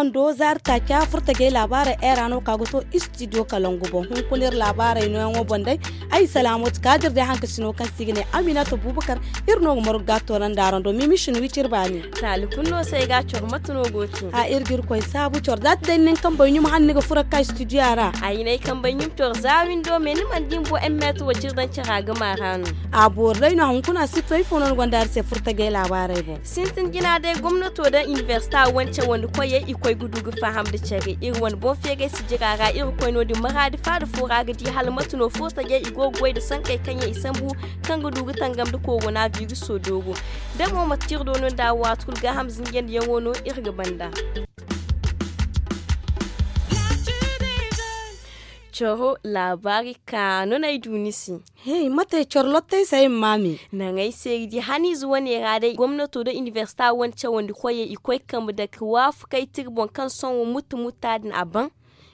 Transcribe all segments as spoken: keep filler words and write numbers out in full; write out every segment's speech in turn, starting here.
Ando zaari taaca furtajey laabaarey era no ka ga to istidiyo kalangu boŋ hunkuna iri laabaarey nooyaŋo boŋ day. Ay salaamatu kaadir day haŋ ka sino kaŋ se i ga ne aminata bubakar. Iri no ga margu ga a toorandi araŋ do mimisin wicir baani. Taali kulu no se ay ga a coro mate no go te. A iri ga iri koy saabu coro za ti day ni nin kambey ɲum hane ni ga furo ga ka istidiya ra. Ay na ay kambey ɲum coro za windo me ni mana di ni bo en meeto wo ciri daŋ cara ga maara no. A boori day no hunkuna si to ifo no ni gonda iri se furtajey laabaarey boŋ. Sintin jina day gomnato da inibersita wane cawandi koyey i koy ga du ga faham nda care iri wane boŋ feegay si jira ra iri koy no- din maraadi faada fo ra ga di hala mate no furtajey i go ga goy nda sankey kaŋ yaŋ i sambu kaŋ ga du ga tangam nda korona biriso doogo. Da mo mate kaŋ iri do no nda a waati kulu gaaham zinjandiyaŋo no iri ga banda. Coro laabaari kaanu no ay du ni se. Hey mate coro lottey se ay ma maame. Naŋ ay se ay ga di haniize wane ra day gomnato nda inibersita wane cawandi koyey i koy ga kambe dake waafakey tira boŋ kaŋ sohõ mutta mutta din a baŋ.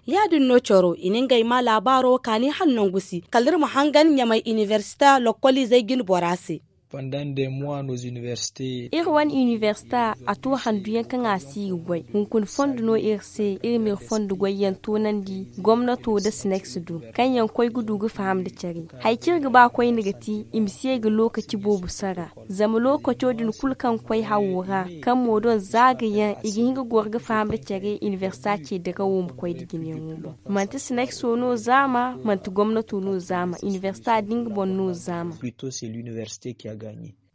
Ya- din no coro i na ngey ma laabaaro kaani hala nangu si kala iri ma hangan ɲamay inibersita lokkoliizey jine bora se. Iri wane inibersita a to handu yaŋ kaŋ a si ga goy hunkuna fondo no iri se iri ma iri fondo goy yaŋ toonandi gomnato nda sineks do kaŋ yaŋ koy ga du ga faham nda care. Hari kaŋ iri ga ba koyne ga ti i ma si ye ga lookaci boobo sara. Zama lookaco din kulu kaŋ koy hawo ra kaŋ mo doŋ za ga yaŋ i ga hin ga goro ga faham nda care inibersita ce dirawo ma koy nda jinayaŋo boŋ. Manti sinekso no zaama manti gomnato no zaama inibersita din ga boŋ no zaama.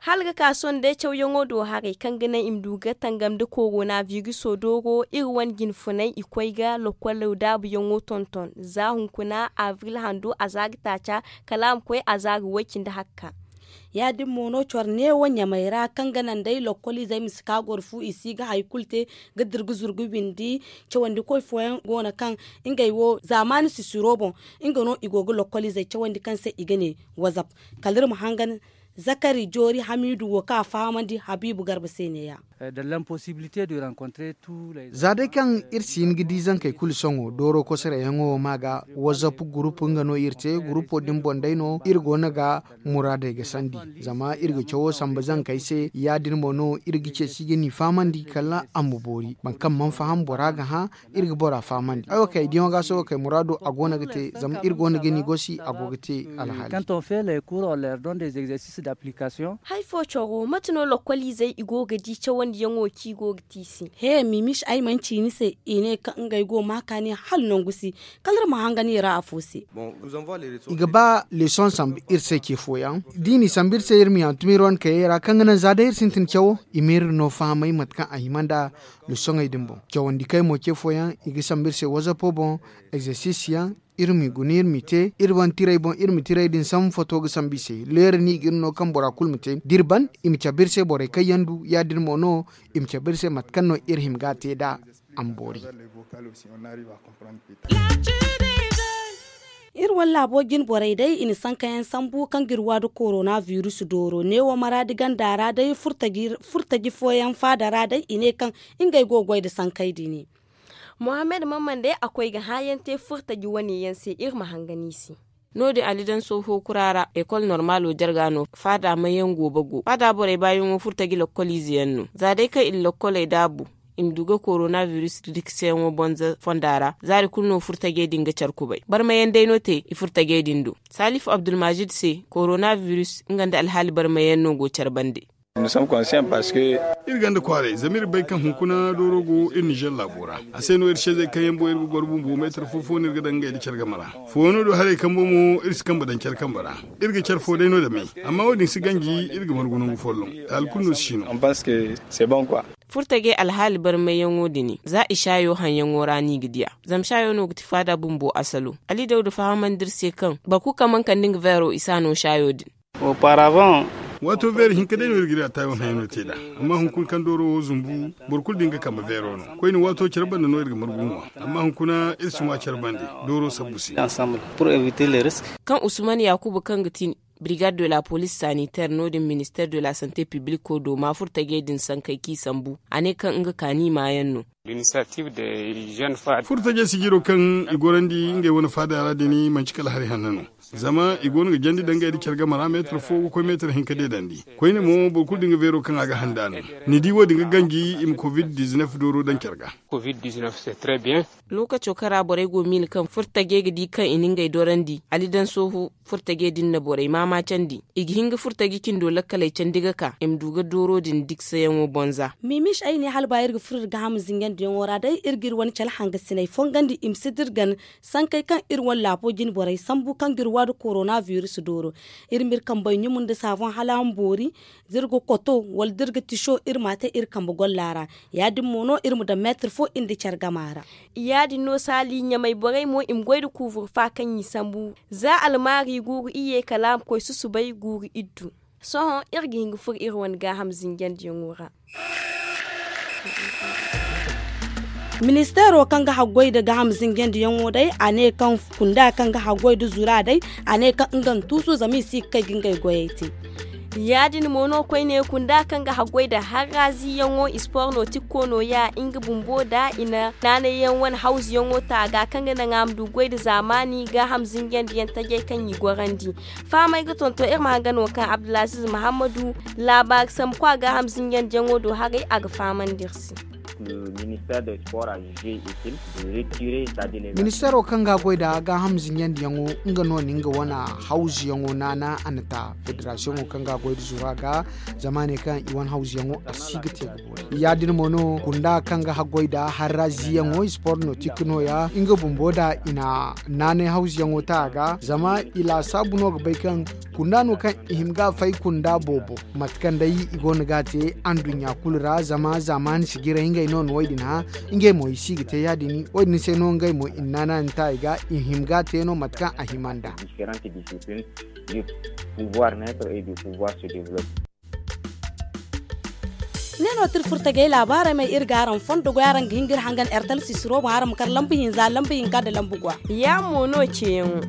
Hala ga ka sohõ day cawyaŋo do haray kaŋ ga naŋ i ma du ga tangam nda korona biriso dooro iri wane jinfunay i koy ga lokkolo daabuyaŋo tonton za hunkuna abril hando a za ga taaca kala a ma koy a za ga way- cindi hakka. Ya- din mo no coro neewo ɲamey ra kaŋ ga naŋ day lokkoliizey ma si ka goro fu i si ga hari kulu te ga dira ga zurgu bindi. Cawandikoy fooyaŋ go no kaŋ ngey wo zaamaani sisiro boŋ nga no i go ga lokkoliizey cawandi kaŋ se i ga ne wazap. Kala iri ma hangan zakari joori hamiidu wo kaŋ a fahamandi habiibu garba se ne- ya. Za day kaŋ iri si hin ga di zankey kulu sohõ dooro kosoroyaŋo wo ma ga wazap gurupu nga no iri te gurupo din boŋ day no iri go no ga muraadey ga sandi. Zama iri ga cawo samba zankey se ya- din mo no iri ga ceeci ga ni fahamandi kala a ma boori boro kaŋ mana faham bora ga hã. Iri ga bora fahamandi ay wo kay diyaŋo ga sohõ kay muraado a go no ga te zama iri go no ga ni gosi a go ga te alhaali. Hari fo coro mate no lokkoliizey i go ga di cawandiyaŋo kaŋ i go ga te i se? He mimis ay mana ci ni se i ne kaŋ ngey go ma kaani hala nangu si. Kala iri ma hangan i ra afo se. I ga ba leesoŋ sambu iri se ce fooyaŋ da i n'i sambu iri se iri ma i hantum iri wane kayey ra kaŋ ga naŋ za day iri sintin cawo i ma iri no fahamay mate kaŋ a hima nda leesoŋey din boŋ. Cawandi kaŋ ay mo ce fooyaŋ i ga sambu iri se wazapo boŋ egzersis yaŋ. Iri m'i guna iri m'i te iri wane tirey boŋ iri ma tirey din sambu foto ga sambu i se leera no i ga iri no kaŋ bora kulu ma te da iri ban i ma cabe iri se borey kaŋ yaŋ du ya- din mo no i ma cabe iri se mate kaŋ no iri hima ga a te nd'a. A ma boori. Iri wane laabo jine borey day i na sankayaŋ sambu kaŋ ga iri wa nda korona virus dooro neewo maraadi ganda ra day furtaji fooyaŋ faada ra day i ne kaŋ ngey go ga goy nda sankey din. Mohammed mamman day a koy ga hãayaŋ te furtaji wane yaŋ se iri ma hangan i se. No- din ali daŋ sohõ kura ra ekol normaalo jarga no faada mayyaŋ goobo go faada borey baayaŋo furtaji lokkoliize yaŋ no za day kaŋ i na lokkoley daabu i ma du ga korona virus dikseyaŋo bonza fonda ra zaari kulu no furtajey din ga care kubay barmayaŋ day no te i furtajey din do. Salifu abdulmajid se korona virus nga nda alhaali barmayaŋ no go care bande. Iri gonda kwaaray zama iri bay kaŋ hunkuna dooro go iri nizer laabo ra. A se no iri seezey kaŋ yaŋ boŋ iri ga goro bumbo meetar fo fo no iri ga daŋ ngey nda care game ra. Fooyaŋo do haray kambo mo iri si kambe daŋ care kambe ra. Iri ga care fo day no dame. Amma wo- din si ganji iri ga margu nangu folloŋ. Taali kulu no si si no. Furtajey alhaali barmayyaŋo din za i saayo haŋyaŋo ra no i ga di a. Zama saayo no ga ti faada bumbo asalo. Ali dawda fahamandi iri se kaŋ boro kulu kaŋ mana kande nga veero i si a no saayo din. Waato veero hinka day no iri ga iri a taayo haŋyaŋo te nd'a. Amma hunkuna kaŋ dooro wo zumbu boro kulu din ga kambe veero no. Koyne waato care banda no iri ga margu ŋwa. Amma hunkuna iri si ŋwa care bande dooro sabbu se. Kaŋ usman yakuba kaŋ ga ti brigade de la police sanitaire no- din minister de la sante publico do ma furtajey din sankey kaŋ i sambu a ne kaŋ nga kaani maayaŋ no. Furtajey sijiro kaŋ i gorandi ngey wane faada ra din manti kala hari hanno no. Zama i go no ga jandi daŋ ngey nda care game ra meetar fo ga koy meetar hinka deedandi. Koyne mo boro kulu da nga beero kaŋ a ga handa no. Ni di wo- din ga ganji i ma covid dizinef dooro daŋ care ga. Lookaco kaŋ ra borey go miila kaŋ furtajey ga di kaŋ i na ngey dorandi ali daŋ sohõ. Furtajey din na borey maamaacandi. I ga hin ga furtaji cindo lakkaley candi ga ka i ma du ga dooro din diksayaŋo bonza. Mimis ay ne hala ba iri ga furo iri gaaham zinjandiyaŋo ra day iri ga iri wane cale hangasiney fongandi i ma si da iri gana. Sankey kaŋ iri wane laabo jine borey sambu kaŋ ga iri waadu korona biris dooro. Iri ma iri kambey ɲumu nda saafoŋ hala a ma boori. Da iri ga koto wala da iri ga tiso iri m'a te iri kambe golla ra. Ya- din mo no iri ma daŋ meetar fo iri nda care gama ra. Ya- din no saali ɲamay borey mo i ma goy nda kuuburfa kaŋ i sambu. Za almaari guuru iyye kala a ma koy susubay guuru iddu. Sohõ iri ga hin ga furo iri wane gaaham zinjandiyaŋo ra. Ministeero kaŋ ga haggoy nda gaaham zinjandiyaŋo day a ne kaŋ kunda kaŋ ga haggoy nda zura day a ne kaŋ nga na tuusu zama i si ga kay ga ngey goyey te. Ya- din mo no koyne kunda kaŋ ga haggoy nda harraziyaŋo ispor no tikko nooya nga bumbo nda i na naanayyaŋ wane hawzuyaŋo ta a ga kaŋ ga naŋ a ma du goy nda zaamaani gaaham zinjandiyaŋ tajey kaŋ i gorandi. Fahamey ga tonton iri ma hanga no kaŋ abdulaziz mahammadu laabaari sambu kwa gaaham zinjandiyaŋo do haray a ga fahamandi iri se. Ministeero kaŋ ga a goy nda gaaham zinjandiyaŋo nga no na nga wane hawzuyaŋo naana a na ta federasiyoŋo kaŋ ga a goy nda zuru a ga. Zama a ne kaŋ i wane hawzuyaŋo a si ga te ga boori ya- din mo no kunda kaŋ ga haggoy nda harraziyaŋo ispor no tikka nooya nga bumbo nda i na naanay hawzuyaŋo ta a ga zama i laasaabu no ga bay kaŋ kunda no kaŋ i hima ga a fay kunda boobo. Mate kaŋ day i go no ga a te anduɲɲa kulu ra zama zaamaani sijiray ngey no na wo- din hã. Ngey mo i si ga te ya- din wo- din se no ngey mo i na naana ni ta i ga i hima ga a te no mate kaŋ a hima nd'a. Ne no tira furtajey laabaarey may iri ga araŋ fondo goy araŋ ga hin ga iri hangan ertal sisiro boŋ araŋ ma kar lambu hinza lambu hinka nda lambu gwa. Ya- mo no ceeyaŋo.